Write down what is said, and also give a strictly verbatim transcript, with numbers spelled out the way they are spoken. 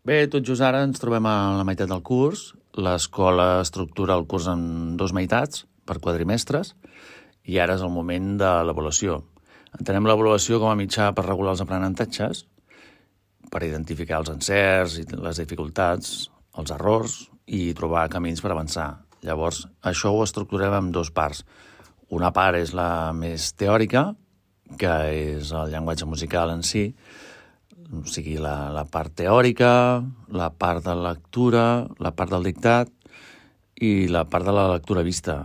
Bé, tot just ara ens trobem a la meitat del curs. L'escola estructura el curs en dos meitats, per quadrimestres, i ara és el moment de l'avaluació. Entenem l'avaluació com a mitjà per regular els aprenentatges, per identificar els encerts i les dificultats, els errors i trobar camins per avançar. Llavors, això ho estructurem en dues parts. Una part és la més teòrica, que és el llenguatge musical en si, o sigui, la, la part teòrica, la part de lectura, la part del dictat i la part de la lectura vista.